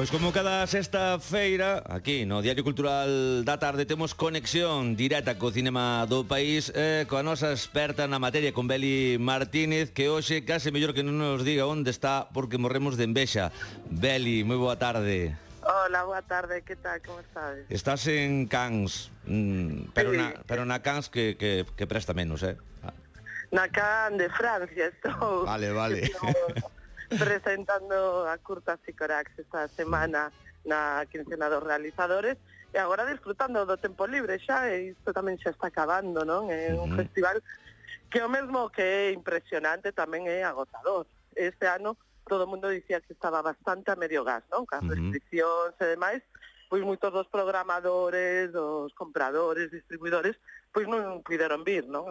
Pois como cada sexta feira, aquí no Diario Cultural da Tarde temos conexión directa co cinema do país coa nosa experta na materia, con Beli Martínez, que hoxe case mellor que non nos diga onde está porque morremos de envexa. Beli, moi boa tarde. Hola, boa tarde, que tal, como estás? Estás en Cannes, pero na Cannes que presta menos, Na Cannes de Francia estou. Vale. Presentando a curta Sicorax esta semana na quincena dos realizadores e agora disfrutando do tempo libre xa, e isto tamén xa está acabando, non? É un festival que o mesmo que é impresionante tamén é agotador. Este ano todo o mundo dicía que estaba bastante a medio gas, non? Cas restriccións e demais, pois moitos dos programadores, dos compradores, distribuidores, pois non puderon vir, non?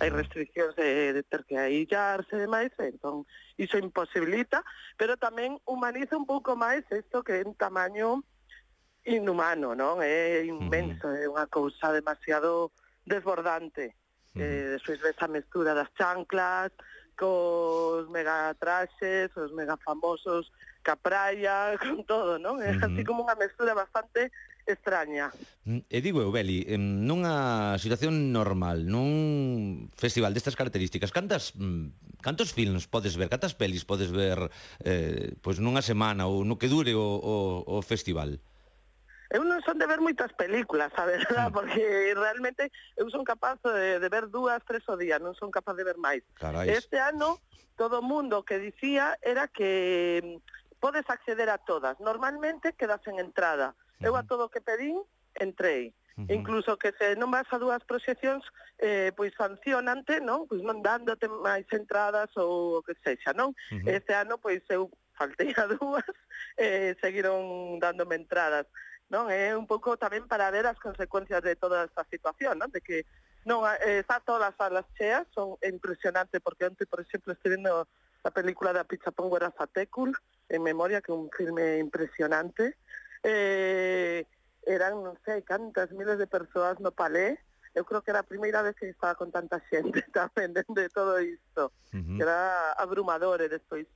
Hai restriccións de ter que aillarse e demais, entón iso imposibilita, pero tamén humaniza un pouco máis isto que é un tamaño inhumano, non? É inmenso, é unha cousa demasiado desbordante. Despois ves a mestura das chanclas, cos megatraxes, os mega famosos, ca praia, con todo, non? É así como unha mestura bastante extraña. E digo eu, Beli, nunha situación normal, nun festival destas características, cantos films podes ver, cantas pelis podes ver pois nunha semana ou no que dure o festival? Eu non son de ver moitas películas, a verdad, porque realmente eu son capaz de ver 2, 3 ao día, non son capaz de ver máis. Carais. Este ano, todo o mundo que dicía era que podes acceder a todas. Normalmente quedas en entrada. Eu a todo o que pedín, entrei. Incluso que se non vas a 2 proxeccións, pois sancionante, non? Pois non dándote máis entradas ou o que sexa, non? Este ano, pois eu faltei a 2, seguiron dándome entradas, non? É un pouco tamén para ver as consecuencias de toda esta situación, non? De que non está todas as salas cheas, é impresionante, porque onte, por exemplo, estive vendo a película da Pichapón Guerazatécul, en memoria, que é un filme impresionante. Eran non sei cantas miles de persoas no Palais. Eu creo que era a primeira vez que estaba con tanta xente tamén de todo isto, que era abrumador. E despois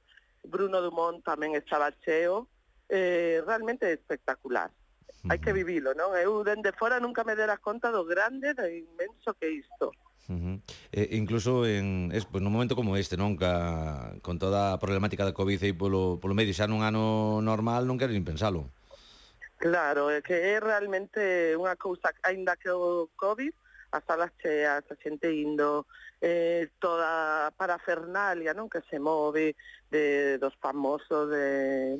Bruno Dumont tamén estaba cheo, realmente espectacular. Hai que vivilo, non? Eu dende fora nunca me dera conta do grande, do inmenso que é isto. Incluso nun momento como este, non? Con toda a problemática da Covid aí polo medio, xa nun ano normal non quero nin pensalo. Claro, é que é realmente unha cousa, aínda que o Covid, as salas cheas, a xente indo, toda a parafernalia, non, que se move dos famosos,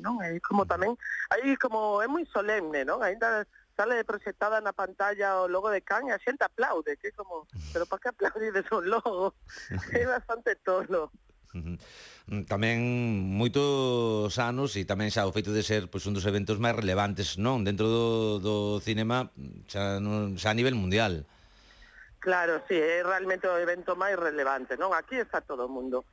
non, é como tamén, aí como é moi solemne, non, aínda sale proxectada na pantalla o logo de Cannes e a xente aplaude, que é como, pero para que aplaudides o logo? É bastante tolo. Tamén moitos anos e tamén xa o feito de ser pois un dos eventos máis relevantes, non, dentro do cinema xa a nivel mundial. Claro, sí, é realmente o evento máis relevante, non? Aquí está todo o mundo.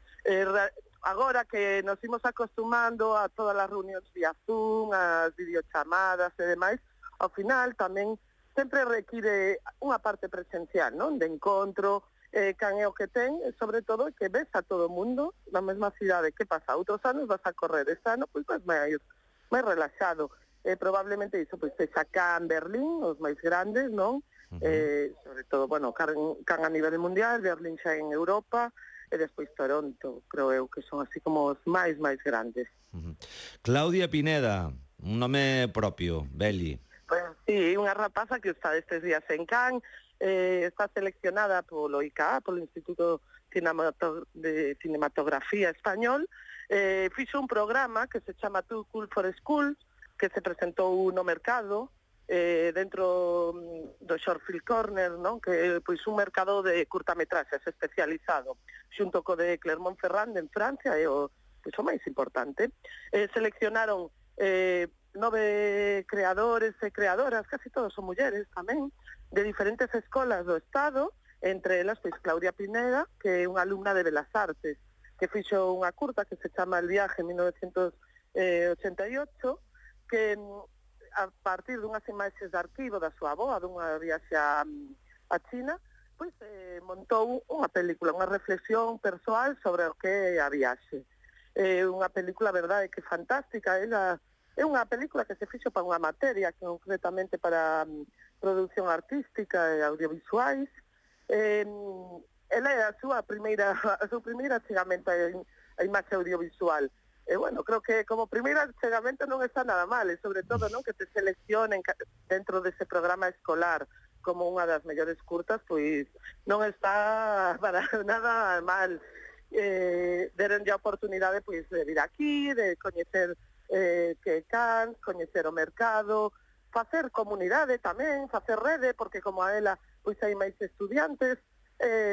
Agora que nos imos acostumando a todas as reunións vía Zoom, as videochamadas e demais, ao final tamén sempre require unha parte presencial, non? De encontro, can é o que ten, e sobre todo que ves a todo o mundo na mesma cidade. Que pasa? Outros anos vas a correr, este ano pois máis relaxado. Probablemente iso pois sexa Cannes, Berlín, os máis grandes, non? Sobre todo, bueno, Cannes a nivel mundial, Berlín xa en Europa, e despois Toronto, creo eu que son así como os máis grandes. Claudia Pineda, un nome propio, Beli. Pues sí, unha rapaza que está estes días en Cannes, está seleccionada polo ICA, polo Instituto de Cinematografía Español, fixo un programa que se chama Too Cool for Schools, que se presentou no mercado, dentro do Short Film Corner, non? Que é pois un mercado de curtametraxes especializado, xunto co de Clermont-Ferrand en Francia, é o máis importante. Seleccionaron 9 creadores e creadoras, casi todos son mulleres tamén, de diferentes escolas do Estado, entre elas pois Claudia Pineda, que é unha alumna de Belas Artes, que fixo unha curta que se chama El viaje en 1988, que a partir dunhas imaxes de arquivo da súa avoa, dunha viaxe a China, pois montou unha película, unha reflexión persoal sobre o que é a viaxe. Unha película, verdade, que fantástica. Ela É unha película que se fixo para unha materia, concretamente para produción artística e audiovisuais. Ela é o seu primeiro achegamento a imaxe audiovisual. E, bueno, creo que como primeiro achegamento non está nada mal, e sobre todo, non, que te seleccionen dentro dese programa escolar como unha das mellores curtas, pois non está para nada mal. Deronlle a oportunidade, pois, de vir aquí, de coñecer que Cannes, coñecer o mercado, facer comunidade tamén, facer rede, porque como a ela, pois hai máis estudiantes,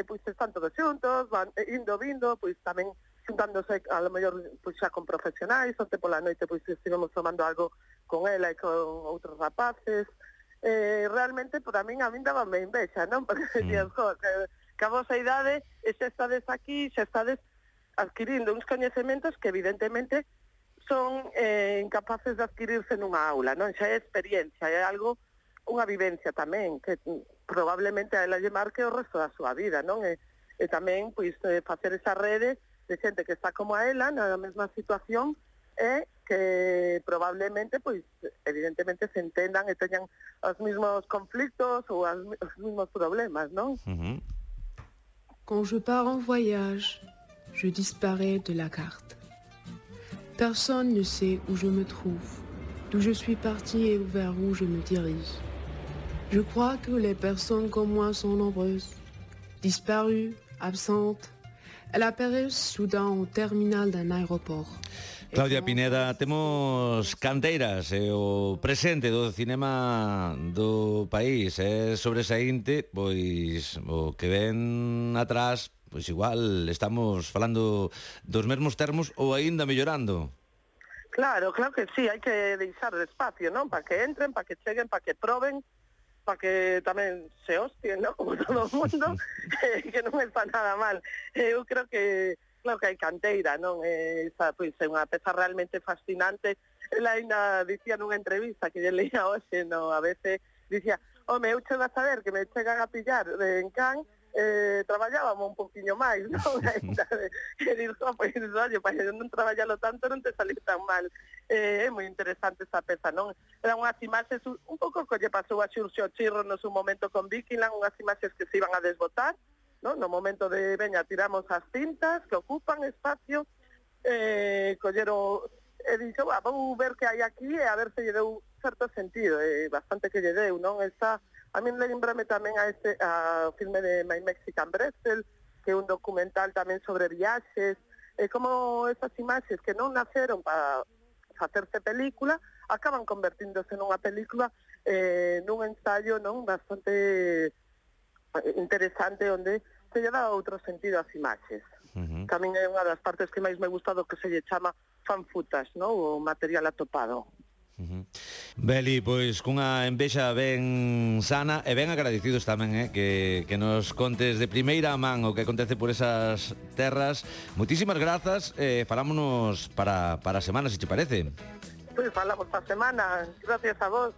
pois están todos xuntos, van indo, vindo, pois tamén xuntándose a lo mellor pois xa con profesionais, onte pola noite pois estivemos tomando algo con ela e con outros rapaces. Realmente, a min dábame envexa, non? Porque decías, que a vosa idade, e xa estades aquí, xa estades adquirindo uns coñecementos que evidentemente son incapaces de adquirirse nunha aula, non? Xa é experiencia, é algo, unha vivencia tamén, que probablemente a ela lle marque o resto da súa vida, non? E tamén, pois, facer esa rede de xente que está como a ela, na mesma situación, e que probablemente, pois, evidentemente se entendan e teñan os mismos conflictos ou os mismos problemas, non? Quand je pars en voyage, je disparais de la carte. Personne ne sait où je me trouve, d'où je suis parti et vers où je me dirige. Je crois que les personnes comme moi sont nombreuses, disparues, absentes. Ela aparece soudain ao terminal d'un aeroport. Claudia Pineda, temos canteiras e o presente do cinema do país é sobresaínte, pois o que ven atrás, pois igual estamos falando dos mesmos termos ou aínda mellorando. Claro que sí, hai que deixar espacio, non? Para que entren, para que cheguen, para que proben, para que tamén se hostien, ¿no? Como todo o mundo, que non está nada mal. Eu creo que, claro que hai canteira, non? Esa, pois, é unha peza realmente fascinante. Ela ainda dicía nunha entrevista que lle leía hoxe, no, a veces, dicía, home, eu chego a saber que me chegan a pillar en Cannes, traballábamos un poquinho máis, non? E digo, pois, oye, para non traballalo tanto non te salir tan mal. É moi interesante esa peza, non? Eran unhas imaxes, un pouco que lle pasou a Xurxo Chirro no seu momento con Vikingland, unhas imaxes que se iban a desbotar, non? No momento de, veña, tiramos as cintas que ocupan espacio, colleron, e dixo, vou ver que hai aquí e a ver se lle deu certo sentido, bastante que lle deu, non? Esa, a min lembrame tamén a filme de My Mexican Pretzel, que é un documental tamén sobre viaxes, como esas imaxes que non naceron para facerse película, acaban convertíndose nunha película, nun ensayo, non, bastante interesante, onde se lle dá outro sentido ás imaxes. Que a min é unha das partes que máis me gusta do que se lle chama fan footage, non, o material atopado. Beli, pois cunha envexa ben sana e ben agradecidos tamén, que nos contes de primeira man o que acontece por esas terras. Moitísimas grazas, falámonos para a semana, se te parece. Pois falamos para a semana, gracias a vos.